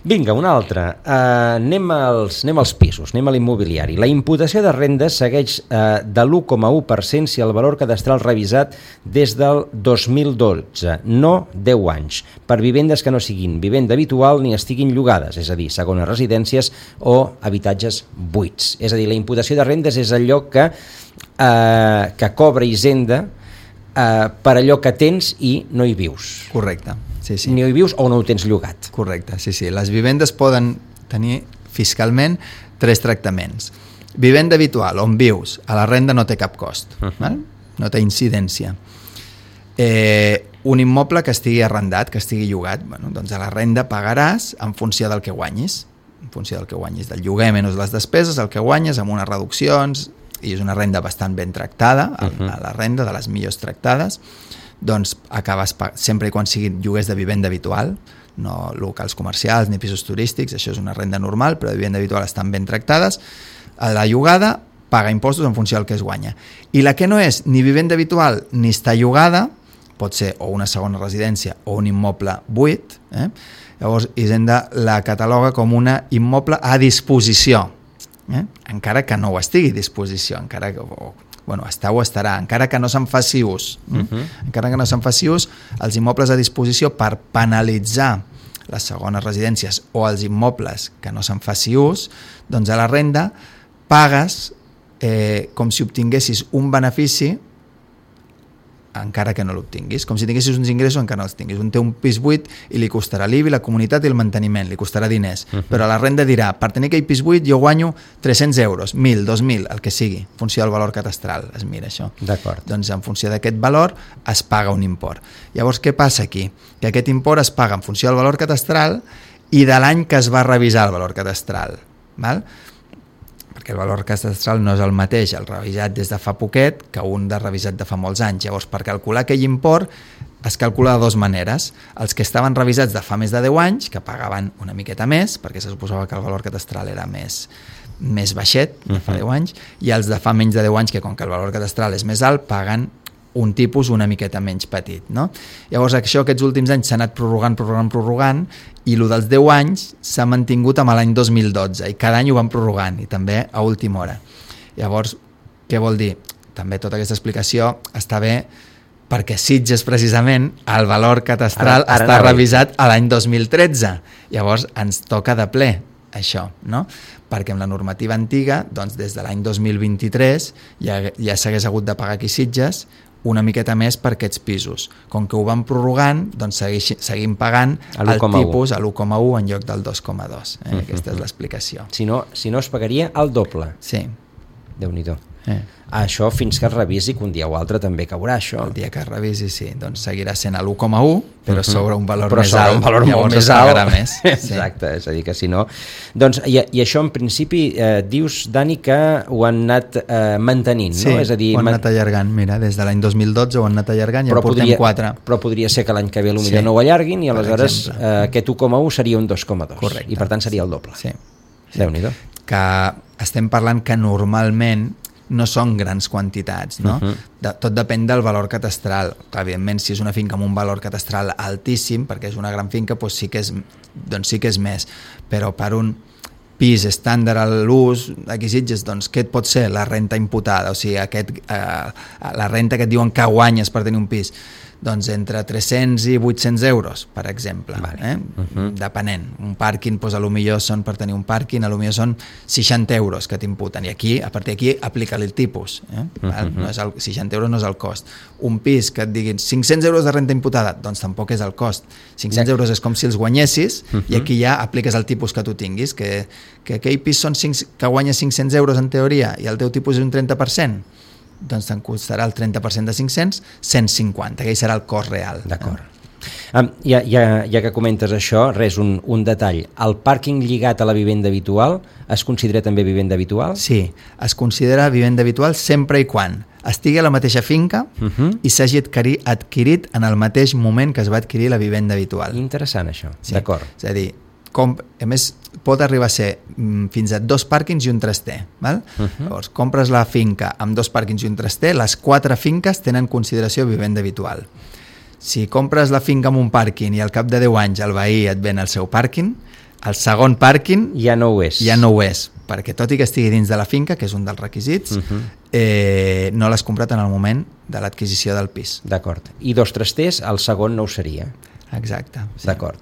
S1: Vinga, una altra. Uh, anem, als, anem als pisos, anem a l'immobiliari. La imputació de rendes segueix uh, de l'u coma u per cent si el valor cadastral revisat des del dos mil dotze, no deu anys, per vivendes que no siguin vivenda habitual ni estiguin llogades, és a dir, segones residències o habitatges buits. És a dir, la imputació de rendes és allò que, uh, que cobra Hisenda uh, per allò que tens i no hi vius.
S2: Correcte. Sí, sí.
S1: Ni hi vius o no ho tens llogat.
S2: Correcte, sí, sí. Les vivendes poden tenir fiscalment tres tractaments. Vivenda habitual, on vius, a la renda no té cap cost, uh-huh. val? No té incidència. Eh, un immoble que estigui arrendat, que estigui llogat, bueno, doncs a la renda pagaràs en funció del que guanyis, en funció del que guanyis, del lloguer menys les despeses, el que guanyes amb unes reduccions, i és una renda bastant ben tractada, uh-huh. a la renda de les millors tractades, doncs acabes sempre i quan siguin lloguers de vivenda habitual, no locals comercials ni pisos turístics, això és una renda normal, però de vivenda habitual estan ben tractades. A la llogada paga impostos en funció del que es guanya. I la que no és ni vivenda habitual ni està llogada, pot ser o una segona residència o un immoble buit, eh? Llavors Hisenda la cataloga com una immoble a disposició, eh? Encara que no ho estigui a disposició, encara que... O, bueno, està o estarà, encara que no se'n faci ús. Uh-huh. Encara que no se'n faci ús, els immobles a disposició per penalitzar les segones residències o els immobles que no se'n faci ús, doncs a la renda pagues eh, com si obtinguessis un benefici encara que no l'obtinguis, com si tinguessis uns ingressos encara no els tinguis. Un té un pis buit i li costarà l'I B I, la comunitat i el manteniment, li costarà diners, uh-huh. però la renda dirà, per tenir aquell pis buit jo guanyo tres-cents euros, mil, dos mil, el que sigui, en funció del valor catastral, es mira això.
S1: D'acord.
S2: Doncs en funció d'aquest valor es paga un import. Llavors què passa aquí? Que aquest import es paga en funció del valor catastral i de l'any que es va revisar el valor catastral, val? Perquè el valor catastral no és el mateix el revisat des de fa poquet que un de revisat de fa molts anys. Llavors, per calcular aquell import es calcula de dues maneres. Els que estaven revisats de fa més de deu anys, que pagaven una miqueta més, perquè se suposava que el valor catastral era més, més baixet, de fa deu anys, i els de fa menys de deu anys, que com que el valor catastral és més alt, paguen un tipus una miqueta menys petit, no? Llavors això aquests últims anys s'ha anat prorrogant, prorrogant, prorrogant i el dels deu anys s'ha mantingut amb l'any dos mil dotze i cada any ho van prorrogant i també a última hora. Llavors, què vol dir? També tota aquesta explicació està bé perquè Sitges precisament el valor catastral ara, ara està revisat a l'any dos mil tretze. Llavors ens toca de ple això, no? Perquè amb la normativa antiga, doncs des de l'any dos mil vint-i-tres ja, ja s'hagués hagut de pagar aquí Sitges una miqueta més per aquests pisos. Com que ho van prorrogant, doncs segueix, seguim pagant el tipus a l'u coma u en lloc del dos coma dos. Eh? Uh-huh. Aquesta és l'explicació.
S1: Si no, si no es pagaria el doble.
S2: Sí.
S1: Déu-n'hi-do.
S2: Eh.
S1: Això fins que es revisi, que un dia o altre també caurà això.
S2: El dia que es revisi, sí, doncs seguirà sent a l'u coma u, però uh-huh. sobre un valor
S1: però
S2: més
S1: sobre
S2: alt.
S1: un valor
S2: llavors
S1: molt més alt.
S2: Més.
S1: Exacte, sí. És a dir que si no... Doncs, i, i això en principi eh, dius, Dani, que ho han anat eh, mantenint,
S2: sí,
S1: no? És a dir,
S2: ho han anat allargant, mira, des de l'any dos mil dotze ho han anat allargant i ja portem
S1: podria,
S2: quatre.
S1: Però podria ser que l'any que ve potser sí, no ho allarguin i aleshores eh, aquest u coma u seria un dos coma dos.
S2: Correcte.
S1: I per tant seria el doble.
S2: Sí.
S1: Déu-n'hi-do.
S2: Que estem parlant que normalment no són grans quantitats, no? Uh-huh. De, tot depèn del valor catastral. Clar, evidentment, si és una finca amb un valor catastral altíssim, perquè és una gran finca, doncs sí que és, doncs sí que és més. Però per un pis estàndard a l'ús, aquí Sitges, doncs què et pot ser la renta imputada? O sigui, aquest, eh, la renta que et diuen que guanyes per tenir un pis, doncs entre tres-cents i vuit-cents euros, per exemple, vale. eh? uh-huh. depenent. Un pàrquing, doncs, a lo millor són, per tenir un pàrquing, a lo millor són seixanta euros que t'imputen, i aquí, a partir d'aquí, aplica-li el tipus. Eh? Uh-huh. No és el, seixanta euros no és el cost. Un pis que et diguin cinc-cents euros de renta imputada, doncs tampoc és el cost. cinc-cents euros és com si els guanyessis, uh-huh. i aquí ja apliques el tipus que tu tinguis, que, que aquell pis són cinc, que guanya cinc-cents euros en teoria, i el teu tipus és un trenta per cent, doncs te'n costarà el trenta per cent de cinc-cents, cent cinquanta, aquell serà el cost real.
S1: D'acord. Eh? Um, ja, ja, ja que comentes això, res, un, un detall. El pàrquing lligat a la vivenda habitual es considera també vivenda habitual?
S2: Sí, es considera vivenda habitual sempre i quan estigui a la mateixa finca uh-huh. i s'hagi adquirit en el mateix moment que es va adquirir la vivenda habitual.
S1: Interessant això,
S2: sí.
S1: D'acord.
S2: És a dir, comp... a més, pot arribar a ser mm, fins a dos pàrquings i un traster. Val? Uh-huh. Llavors, compres la finca amb dos pàrquings i un traster, les quatre finques tenen consideració vivenda habitual. Si compres la finca amb un pàrquing i al cap de deu anys el veí et ven el seu pàrquing, el segon pàrquing
S1: ja no ho és.
S2: Ja no ho és, perquè tot i que estigui dins de la finca, que és un dels requisits, uh-huh. eh, no l'has comprat en el moment de l'adquisició del pis.
S1: D'acord. I dos trasters, el segon no ho seria.
S2: Exacte. Sí.
S1: D'acord.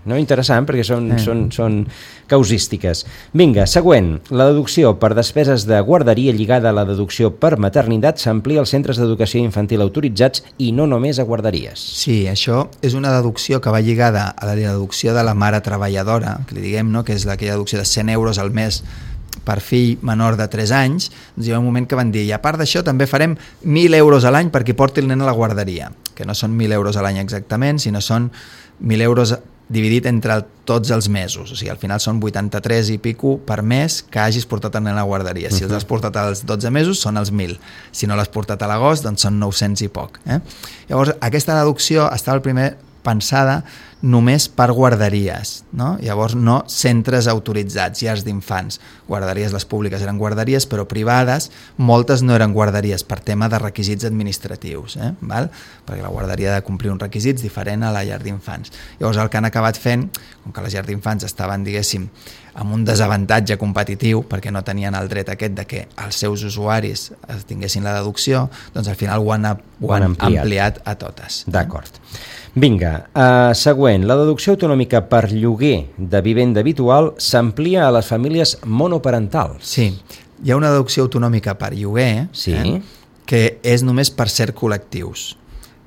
S1: No, interessant, perquè són, eh. són, són causístiques. Vinga, següent. La deducció per despeses de guarderia lligada a la deducció per maternitat s'amplia als centres d'educació infantil autoritzats i no només a guarderies.
S2: Sí, això és una deducció que va lligada a la deducció de la mare treballadora, que li diguem, no? Que és aquella deducció de cent euros al mes per fill menor de tres anys. Doncs hi ha un moment que van dir, i a part d'això també farem mil euros a l'any perquè porti el nen a la guarderia, que no són mil euros a l'any exactament, sinó són mil euros dividit entre el, tots els mesos, o sigui, al final són vuitanta-tres i pico per mes que hagis portat el nen a la guarderia. Si els has portat als dotze mesos són els mil, si no l'has portat a l'agost doncs són nou-cents i poc. Eh? Llavors, aquesta deducció estava el primer pensada només per guarderies, no? Llavors no centres autoritzats, llars d'infants. Guarderies, les públiques eren guarderies, però privades, moltes no eren guarderies per tema de requisits administratius, eh? Val? Perquè la guarderia ha de complir uns requisits diferent a la llar d'infants. Llavors el que han acabat fent, com que les llars d'infants estaven, diguéssim, amb un desavantatge competitiu, perquè no tenien el dret aquest de que els seus usuaris tinguessin la deducció, doncs al final ho han, ho han ampliat. ampliat a totes.
S1: D'acord. Vinga, uh, següent. La deducció autonòmica per lloguer de vivenda habitual s'amplia a les famílies monoparentals.
S2: Sí, hi ha una deducció autonòmica per lloguer,
S1: sí.
S2: eh, que és només per cert col·lectius.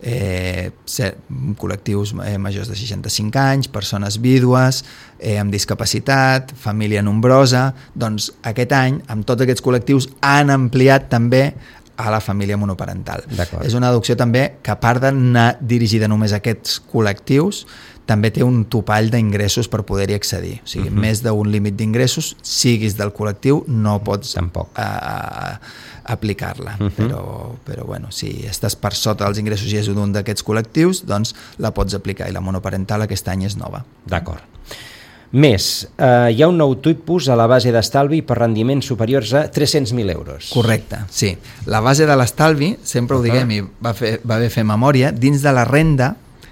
S2: Eh, ser, col·lectius eh, majors de seixanta-cinc anys, persones vídues, eh, amb discapacitat, família nombrosa. Doncs aquest any, amb tots aquests col·lectius, han ampliat també a la família monoparental. És una deducció també que, a part d'anar dirigida només a aquests col·lectius, també té un topall d'ingressos per poder-hi accedir. O sigui, uh-huh. més d'un límit d'ingressos, siguis del col·lectiu, no pots
S1: tampoc
S2: a, a, aplicar-la. Uh-huh. Però, però bueno, si estàs per sota dels ingressos i és un d'aquests col·lectius, doncs la pots aplicar, i la monoparental aquest any és nova.
S1: D'acord. Més, eh, hi ha un nou tipus a la base d'estalvi per rendiments superiors a tres-cents mil euros.
S2: Correcte, sí. La base de l'estalvi, sempre ho diguem i va, fer, va bé fer memòria, dins de la renda,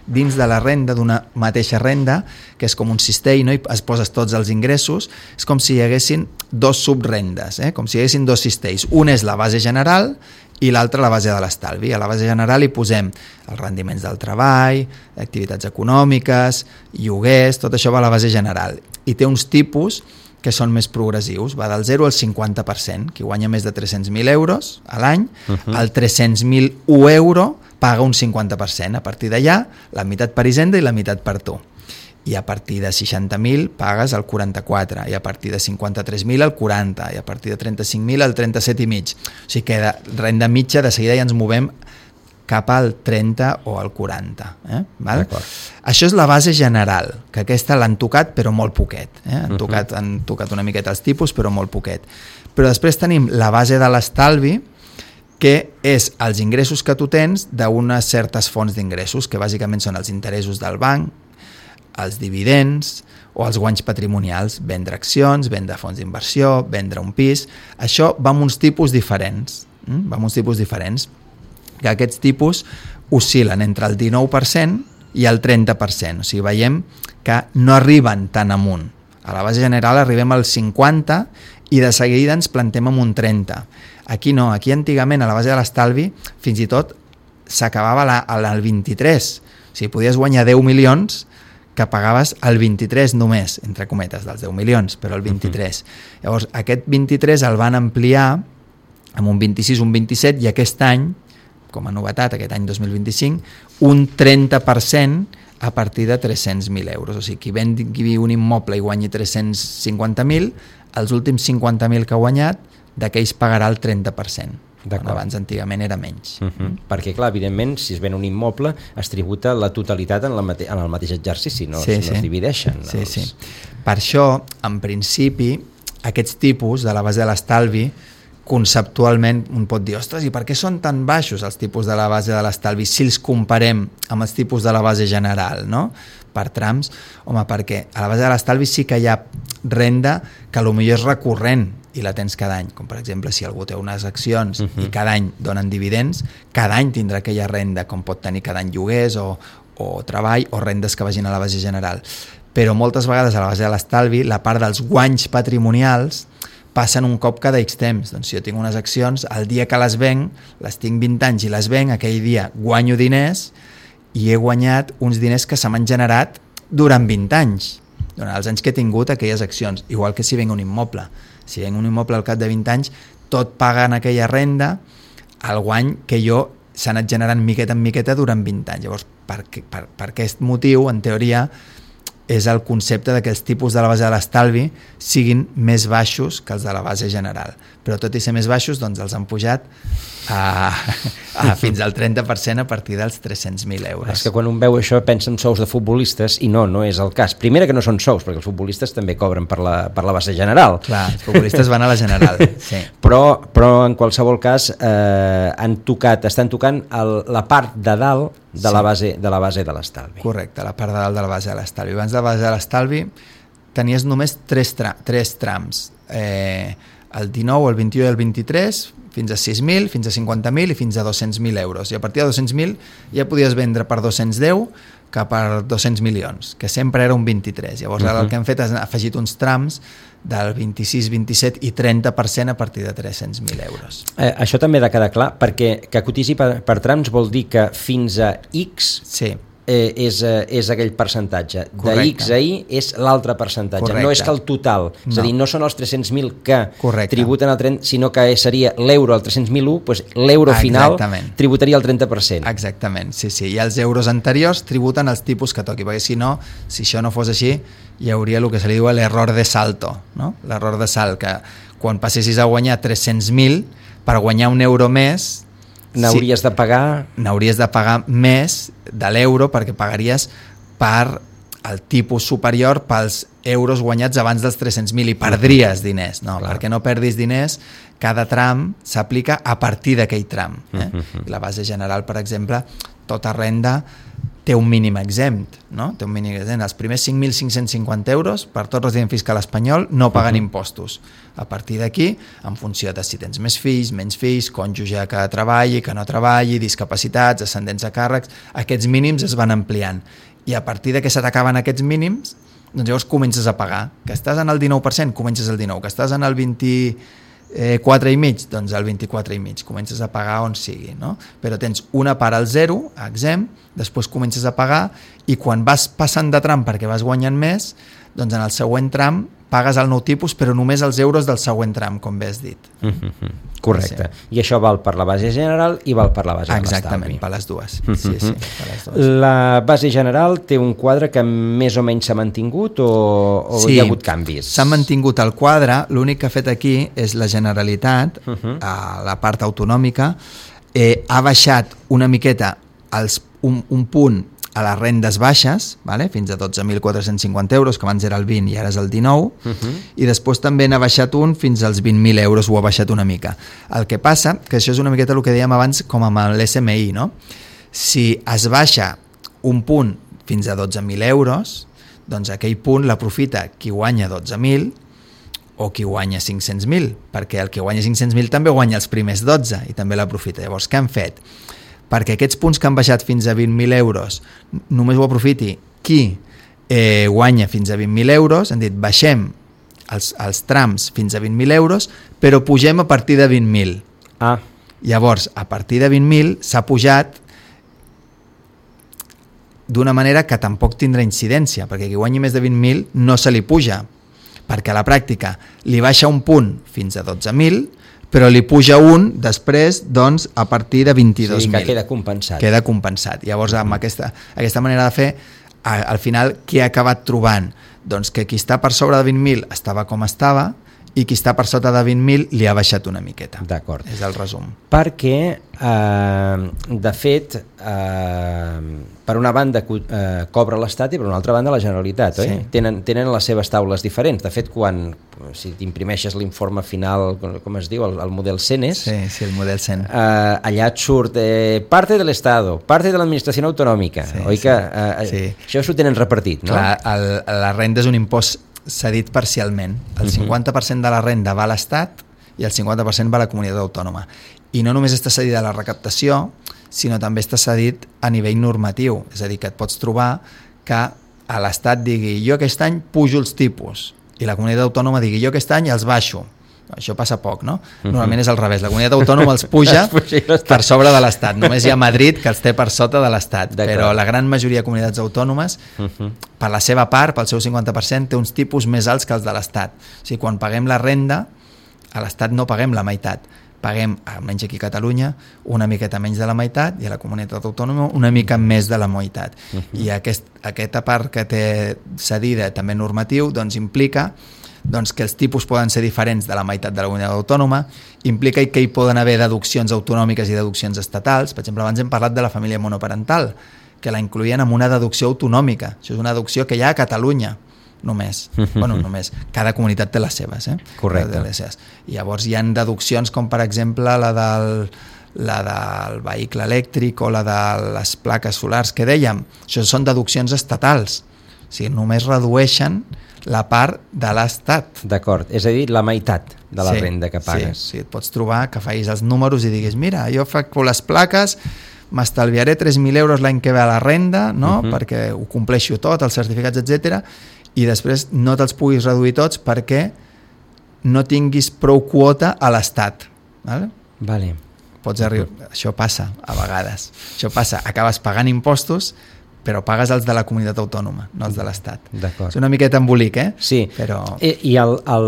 S2: dins de la renda d'una mateixa renda, que és com un cistell, no? I es poses tots els ingressos, és com si hi haguessin dos subrendes, eh? Com si hi haguessin dos cistells. Un és la base general i l'altre la base de l'estalvi. A la base general hi posem els rendiments del treball, activitats econòmiques, lloguers, tot això va a la base general. I té uns tipus que són més progressius, va del zero al cinquanta per cent. Qui guanya més de tres-cents mil euros a l'any, uh-huh. el tres-cents mil un euro paga un cinquanta per cent. A partir d'allà, la meitat per Hisenda i la meitat per tu. I a partir de seixanta mil pagues el quaranta-quatre, i a partir de cinquanta-tres mil el quaranta, i a partir de trenta-cinc mil el trenta-set i mig. O sigui que de renda mitja de seguida ja ens movem cap al trenta o al quaranta. Eh? Val? Això és la base general, que aquesta l'han tocat però molt poquet. Eh? Han, tocat, han tocat una miqueta els tipus però molt poquet. Però després tenim la base de l'estalvi, que és els ingressos que tu tens d'unes certes fonts d'ingressos, que bàsicament són els interessos del banc, els dividends o els guanys patrimonials, vendre accions, vendre fons d'inversió, vendre un pis. Això va amb uns tipus diferents, mm? va amb uns tipus diferents, que aquests tipus oscil·len entre el dinou per cent i el trenta per cent, o sigui, veiem que no arriben tan amunt. A la base general arribem al cinquanta i de seguida ens plantem amb un trenta. Aquí no, aquí antigament a la base de l'estalvi fins i tot s'acabava al vint-i-tres, o sigui, podies guanyar deu milions que pagaves el vint-i-tres només, entre cometes, dels deu milions, però el vint-i-tres. Uh-huh. Llavors, aquest vint-i-tres el van ampliar amb un vint-i-sis, un vint-i-set, i aquest any, com a novetat, aquest any dos mil vint-i-cinc, un trenta per cent a partir de tres-cents mil euros. O sigui, qui vendi un immoble i guanyi tres-cents cinquanta mil, els últims cinquanta mil que ha guanyat, d'aquells pagarà el trenta per cent. Abans antigament era menys.
S1: Uh-huh. Perquè clar, evidentment, si es ven un immoble es tributa la totalitat en, la mate- en el mateix exercici, no,
S2: sí,
S1: es,
S2: sí.
S1: no es divideixen.
S2: Sí,
S1: els...
S2: sí. Per això, en principi, aquests tipus de la base de l'estalvi, conceptualment un pot dir, ostres, i per què són tan baixos els tipus de la base de l'estalvi si els comparem amb els tipus de la base general, no? per trams, home, perquè a la base de l'estalvi sí que hi ha renda que potser és recurrent i la tens cada any, com per exemple si algú té unes accions uh-huh. i cada any donen dividends, cada any tindrà aquella renda, com pot tenir cada any lloguers o, o treball o rendes que vagin a la base general. Però moltes vegades a la base de l'estalvi la part dels guanys patrimonials passen un cop cada X temps. Doncs si jo tinc unes accions, el dia que les venc, les tinc vint anys i les venc, aquell dia guanyo diners i he guanyat uns diners que se m'han generat durant vint anys, durant els anys que he tingut aquelles accions, igual que si venc un immoble. Si venc un immoble al cap de vint anys, tot paga en aquella renda el guany que jo s'ha anat generant miqueta en miqueta durant vint anys. Llavors, per, per, per aquest motiu, en teoria, és el concepte de que els tipus de la base de l'estalvi siguin més baixos que els de la base general. Però tot i ser més baixos, doncs els han pujat a, a fins al trenta per cent a partir dels tres-cents mil euros.
S1: És que quan un veu això pensa en sous de futbolistes i no, no és el cas. Primera que no són sous, perquè els futbolistes també cobren per la, per la base general.
S2: Clar, els futbolistes van a la general. Sí.
S1: Però, però en qualsevol cas eh, han tocat, estan tocant el, la part de dalt de la base de la base de l'estalvi.
S2: Correcte, la part de dalt de la base de l'estalvi. Abans de la base de l'estalvi tenies només tres, tra tres trams. Eh, el dinou, el vint-i-u i el vint-i-tres, fins a sis mil, fins a cinquanta mil i fins a dos-cents mil euros. I a partir de dos-cents mil ja podies vendre per dos-cents deu que per dos-cents milions, que sempre era un vint-i-tres. Llavors ara uh-huh. el que hem fet és afegit uns trams del vint-i-sis, vint-i-set i trenta per cent a partir de tres-cents mil euros.
S1: Eh, això també ha de quedar clar, perquè que cotitzi per, per trams vol dir que fins a X
S2: sí.
S1: eh, és, eh, és aquell percentatge. Correcte. De X a Y és l'altre percentatge. Correcte. No és que el total, és no. a dir, no són els tres-cents mil que Correcte. Tributen el trenta, sinó que seria l'euro al tres-cents mil u, doncs l'euro final tributaria el trenta per cent.
S2: Exactament, sí, sí. I els euros anteriors tributen els tipus que toqui, perquè si no, si això no fos així, hi hauria el que se li diu l'error de salto, no? L'error de salt, que quan passessis a guanyar tres-cents mil, per guanyar un euro més
S1: n'hauries sí, de pagar
S2: n'hauries de pagar més de l'euro, perquè pagaries per el tipus superior pels euros guanyats abans dels tres-cents mil i perdries diners. No, clar. Perquè no perdis diners, cada tram s'aplica a partir d'aquell tram. Eh? Uh-huh. La base general, per exemple, tota renda té un mínim exempt, no? Té un mínim exempt. Els primers cinc mil cinc-cents cinquanta euros per tot resident fiscal espanyol no paguen uh-huh. impostos. A partir d'aquí, en funció de si tens més fills, menys fills, cònjuge que treballi, que no treballi, discapacitats, ascendents a càrrecs, aquests mínims es van ampliant. I a partir de que se t'acaben aquests mínims, doncs llavors comences a pagar. Que estàs en el dinou per cent, comences el dinou. Que estàs en el vint-i-quatre i mig, doncs el vint-i-quatre i mig. Comences a pagar on sigui, no? Però tens una part al zero, exempt, després comences a pagar i quan vas passant de tram perquè vas guanyant més, doncs en el següent tram pagues el nou tipus, però només els euros del següent tram, com bé has dit.
S1: Mm-hmm. Correcte. Sí. I això val per la base general i val per la base de l'estalvi.
S2: Exactament, per les dues. Mm-hmm. Sí, sí, per les dues.
S1: La base general té un quadre que més o menys s'ha mantingut o, o sí, hi ha hagut canvis?
S2: S'ha mantingut el quadre, l'únic que ha fet aquí és la Generalitat, uh-huh. a la part autonòmica, eh, ha baixat una miqueta els, un, un punt a les rendes baixes, vale? Fins a dotze mil quatre-cents cinquanta euros, que abans era el vint i ara és el dinou, uh-huh. i després també n'ha baixat un fins als vint mil euros, ho ha baixat una mica. El que passa, que això és una miqueta el que dèiem abans com amb l'S M I, no? Si es baixa un punt fins a dotze mil euros, doncs aquell punt l'aprofita qui guanya dotze mil o qui guanya cinc-cents mil, perquè el que guanya cinc-cents mil també guanya els primers dotze i també l'aprofita. Llavors, què han fet? Perquè aquests punts que han baixat fins a vint mil euros només ho aprofiti qui eh, guanya fins a vint mil euros, han dit baixem els, els trams fins a vint mil euros, però pugem a partir de vint mil.
S1: Ah.
S2: Llavors, a partir de vint mil s'ha pujat d'una manera que tampoc tindrà incidència, perquè qui guanyi més de vint mil no se li puja, perquè a la pràctica li baixa un punt fins a dotze mil, però li puja un després, doncs, a partir de vint-i-dos mil.
S1: Sí, que queda compensat.
S2: Queda compensat. Llavors, amb aquesta, aquesta manera de fer, al final, què ha acabat trobant? Doncs que qui està per sobre de vint mil estava com estava i qui està per sota de vint mil li ha baixat una miqueta.
S1: D'acord.
S2: És el resum.
S1: Perquè, eh, de fet, eh, per una banda eh, cobra l'Estat i per una altra banda la Generalitat, oi? Sí. Tenen, tenen les seves taules diferents. De fet, quan si t'imprimeixes l'informe final, com es diu, el, el model CENES,
S2: sí, sí, el model CEN.
S1: Eh, allà et surt eh, parte de l'Estado, parte de l'administració autonòmica, sí, oi sí, que eh, sí. Això s'ho tenen repartit, no?
S2: Clar, el, la renda és un impost cedit parcialment. El cinquanta per cent de la renda va a l'Estat i el cinquanta per cent va a la comunitat autònoma. I no només està cedida a la recaptació, sinó també està cedit a nivell normatiu. És a dir, que et pots trobar que a l'Estat digui jo aquest any pujo els tipus i la comunitat autònoma digui jo aquest any els baixo. Això passa poc, no? Normalment és al revés. La comunitat autònoma els puja per sobre de l'Estat. Només hi ha Madrid que els té per sota de l'Estat. Però la gran majoria de comunitats autònomes, per la seva part, pel seu cinquanta per cent, té uns tipus més alts que els de l'Estat. O sigui, quan paguem la renda, a l'Estat no paguem la meitat. Paguem, almenys aquí a Catalunya, una miqueta menys de la meitat i a la comunitat autònoma una mica més de la meitat. I aquest, aquesta part que té cedida també normatiu doncs implica doncs que els tipus poden ser diferents de la meitat de la comunitat autònoma, implica que hi poden haver deduccions autonòmiques i deduccions estatals. Per exemple, abans hem parlat de la família monoparental, que la incloïen amb una deducció autonòmica. Això és una deducció que hi ha a Catalunya, només. Bueno, només. Cada comunitat té les seves, eh?
S1: Correcte.
S2: Les seves. I llavors hi ha deduccions com, per exemple, la del, la del vehicle elèctric o la de les plaques solars que dèiem. Això són deduccions estatals. O sigui, només redueixen la part de l'Estat.
S1: D'acord, és a dir, la meitat de la
S2: sí,
S1: renda que pagues.
S2: Sí, sí, et pots trobar que facis els números i diguis, mira, jo faig les plaques, m'estalviaré tres mil euros l'any que ve a la renda, no? Uh-huh. Perquè ho compleixo tot, els certificats, etcètera, i després no te'ls puguis reduir tots perquè no tinguis prou quota a l'Estat. Vale?
S1: Vale.
S2: Pots arribar... Uh-huh. Això passa a vegades. Això passa, acabes pagant impostos però pagues els de la comunitat autònoma, no els de l'Estat.
S1: D'acord.
S2: És una miqueta embolic, eh?
S1: Sí,
S2: però...
S1: I, i el, el,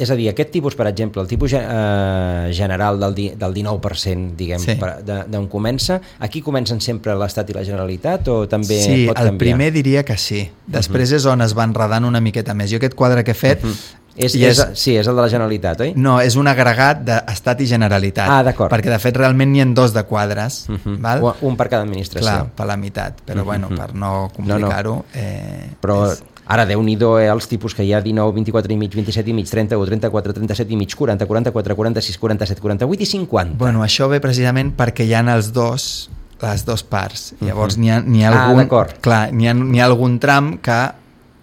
S1: és a dir, aquest tipus, per exemple, el tipus eh, general del, di, del dinou per cent, diguem,
S2: sí.
S1: d'on comença, aquí comencen sempre l'Estat i la Generalitat o també
S2: sí,
S1: pot canviar?
S2: Sí, el primer diria que sí. Després uh-huh. és on es va enredant una miqueta més. Jo aquest quadre que he fet... Uh-huh.
S1: És, és, és, sí, és el de la Generalitat, oi?
S2: No, és un agregat d'Estat i Generalitat.
S1: Ah, d'acord.
S2: Perquè, de fet, realment n'hi ha dos de quadres. Uh-huh. Val?
S1: Un per cada administració.
S2: Clar, per la meitat. Però, uh-huh. bueno, per no complicar-ho... No, no. Eh,
S1: però
S2: és...
S1: ara, Déu-n'hi-do, eh, els tipus que hi ha dinou, vint-i-quatre i mig, vint-i-set i mig, trenta-u, trenta-quatre, trenta-set i mig, quaranta, quaranta-quatre, quaranta-sis, quaranta-set, quaranta-vuit i cinquanta.
S2: Bueno, això ve precisament perquè hi ha els dos, les dues parts. Llavors, uh-huh. n'hi ha, n'hi ha algun...
S1: Ah, d'acord.
S2: Clar, n'hi ha, n'hi ha algun tram que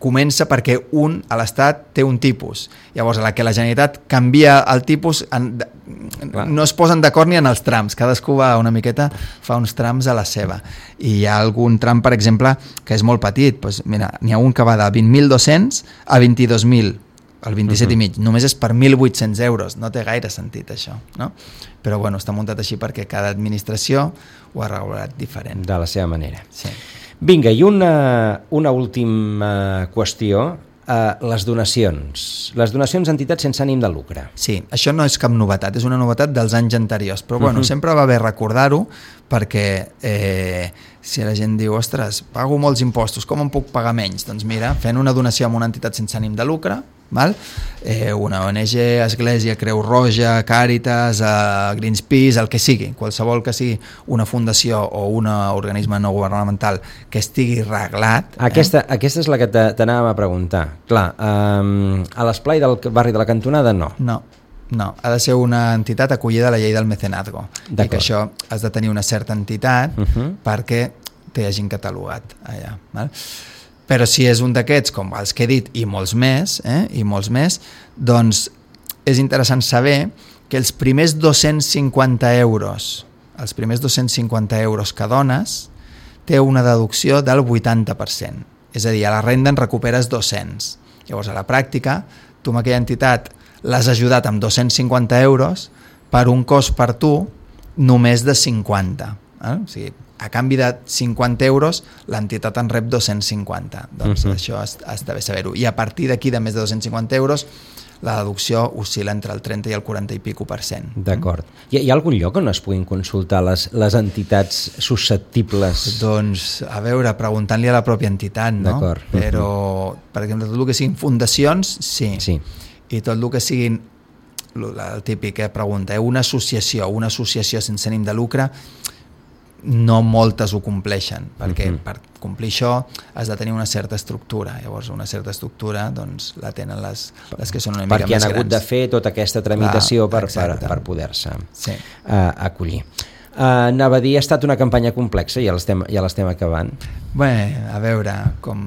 S2: comença perquè un a l'Estat té un tipus. Llavors, a la que la Generalitat canvia el tipus, en, no es posen d'acord ni en els trams. Cadascú va una miqueta, fa uns trams a la seva. I hi ha algun tram, per exemple, que és molt petit. Pues, mira, n'hi ha un que va de vint mil dos-cents a vint-i-dos mil, el vint-i-set uh-huh. i mig. Només és per mil vuit-cents euros. No té gaire sentit, això. No? Però bueno, està muntat així perquè cada administració ho ha regulat diferent.
S1: De la seva manera.
S2: Sí.
S1: Vinga, i una, una última qüestió, eh, les donacions. Les donacions a entitats sense ànim de lucre.
S2: Sí, això no és cap novetat, és una novetat dels anys anteriors, però bueno, uh-huh. sempre va bé recordar-ho perquè eh, si la gent diu, ostres, pago molts impostos, com em puc pagar menys? Doncs mira, fent una donació a una entitat sense ànim de lucre, val? Eh, una O N G, Església, Creu Roja, Càritas, eh, Greenpeace, el que sigui, qualsevol que sigui una fundació o un organisme no governamental que estigui reglat.
S1: Aquesta, eh? aquesta és la que t'anàvem a preguntar. Clar, eh, a l'esplai del barri de la Cantonada no.
S2: No, no, ha de ser una entitat acollida a la llei del mecenazgo. I que això has de tenir una certa entitat uh-huh. perquè t'hi hagin catalogat allà. Val? Però si és un d'aquests, com els que he dit, i molts més, eh, i molts més, doncs és interessant saber que els primers dos-cents cinquanta euros, els primers dos-cents cinquanta euros que dones, té una deducció del vuitanta per cent. És a dir, a la renda en recuperes dos-cents. Llavors, a la pràctica, tu amb aquella entitat l'has ajudat amb dos-cents cinquanta euros per un cost per tu només de cinquanta. Eh? O sigui, a canvi de cinquanta euros, l'entitat en rep dos-cents cinquanta. Doncs uh-huh. això has, has d'haver saber-ho. I a partir d'aquí, de més de dos-cents cinquanta euros, la deducció oscil·la entre el trenta i el quaranta i pico per cent.
S1: D'acord. Hi, hi ha algun lloc on es puguin consultar les, les entitats susceptibles?
S2: Doncs, a veure, preguntant-li a la pròpia entitat, no?
S1: D'acord.
S2: Però, per exemple, tot el que siguin fundacions, sí.
S1: Sí.
S2: i tot el que siguin, el típic eh, pregunta, eh, una associació, una associació sense ànim de lucre, no moltes ho compleixen, perquè uh-huh. per complir això has de tenir una certa estructura, llavors una certa estructura doncs la tenen les, les que són una mica
S1: perquè
S2: més grans.
S1: Perquè han hagut de fer tota aquesta tramitació Clar, per, per, per poder-se
S2: sí.
S1: uh, acollir. Uh, anava a dir, ha estat una campanya complexa, ja l'estem, ja l'estem acabant.
S2: Bé, a veure, com,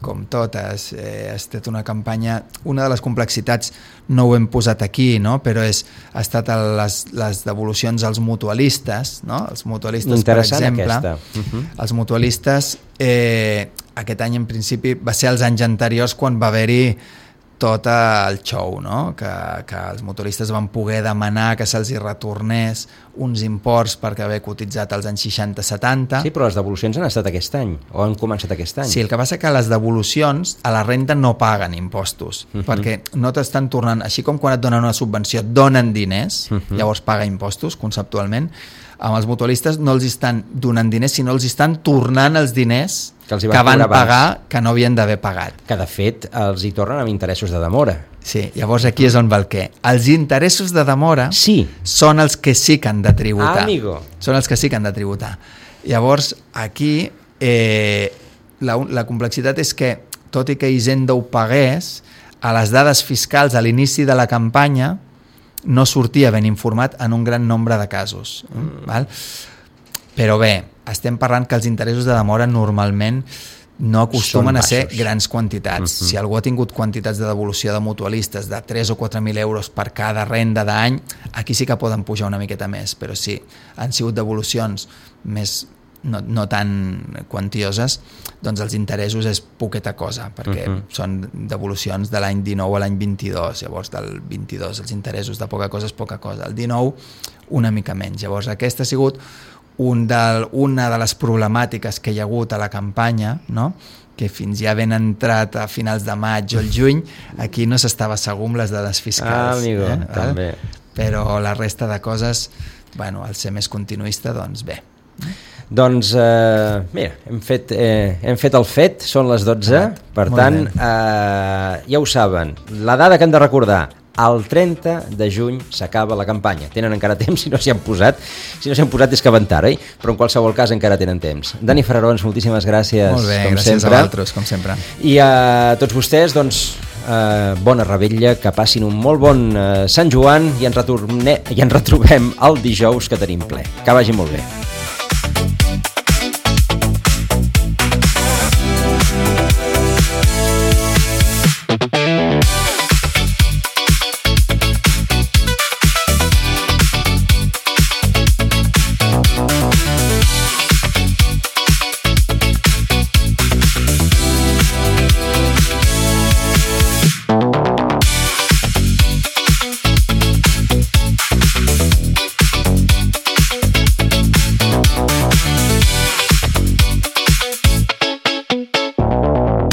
S2: com totes, eh, ha estat una campanya, una de les complexitats no ho hem posat aquí, no? Però és, ha estat les, les devolucions als mutualistes, no? Els mutualistes, per exemple, uh-huh. els mutualistes, eh, aquest any en principi va ser els anys anteriors quan va haver-hi tot el show, no? que, que els motoristes van poder demanar que se'ls hi retornés uns imports perquè haver cotitzat als anys seixanta setanta.
S1: Sí, però les devolucions han estat aquest any, o han començat aquest any.
S2: Sí, el que passa que les devolucions a la renda no paguen impostos, uh-huh. perquè no t'estan tornant, així com quan et donen una subvenció, donen diners, uh-huh. llavors paga impostos, conceptualment. Amb els mutualistes no els estan donant diners, sinó els estan tornant els diners que, els que van pagar que no havien d'haver pagat.
S1: Que de fet els hi tornen amb interessos de demora.
S2: Sí, llavors aquí és on va el què. Els interessos de demora
S1: sí.
S2: són els que sí que han de tributar.
S1: Ah, amigo.
S2: Són els que sí que han de tributar. Llavors aquí eh, la, la complexitat és que, tot i que Hisenda ho pagués, a les dades fiscals a l'inici de la campanya no sortia ben informat en un gran nombre de casos. Mm. Val? Però bé, estem parlant que els interessos de demora normalment no acostumen a ser grans quantitats. Uh-huh. Si algú ha tingut quantitats de devolució de mutualistes de tres o quatre mil euros per cada renda d'any, aquí sí que poden pujar una miqueta més, però sí, han sigut devolucions més no, no tan quantioses, doncs els interessos és poqueta cosa, perquè uh-huh. són devolucions de l'any dinou a l'any vint-i-dos, llavors del vint-i-dos els interessos de poca cosa és poca cosa, el dinou una mica menys. Llavors aquesta ha sigut un del, una de les problemàtiques que hi ha hagut a la campanya, no? Que fins ja ben entrat a finals de maig o el juny, aquí no s'estava segur amb les dades fiscals.
S1: Ah, amigo,
S2: eh?
S1: també.
S2: Però la resta de coses, bueno, al ser més continuista, doncs bé.
S1: Doncs, eh, mira, hem fet, eh, hem fet el fet, són les dotze, ah, per tant, eh, ja ho saben, la dada que hem de recordar, el trenta de juny s'acaba la campanya. Tenen encara temps si no s'hi han posat. Si no s'hi han posat és que van tard, eh? Però en qualsevol cas encara tenen temps. Dani Farrarons, moltíssimes gràcies.
S2: Molt bé,
S1: com
S2: gràcies
S1: sempre.
S2: a vosaltres, com sempre.
S1: I a tots vostès, doncs, eh, bona revetlla, que passin un molt bon eh, Sant Joan i ens, retorne, i ens retrobem el dijous que tenim ple. Que vagi molt bé.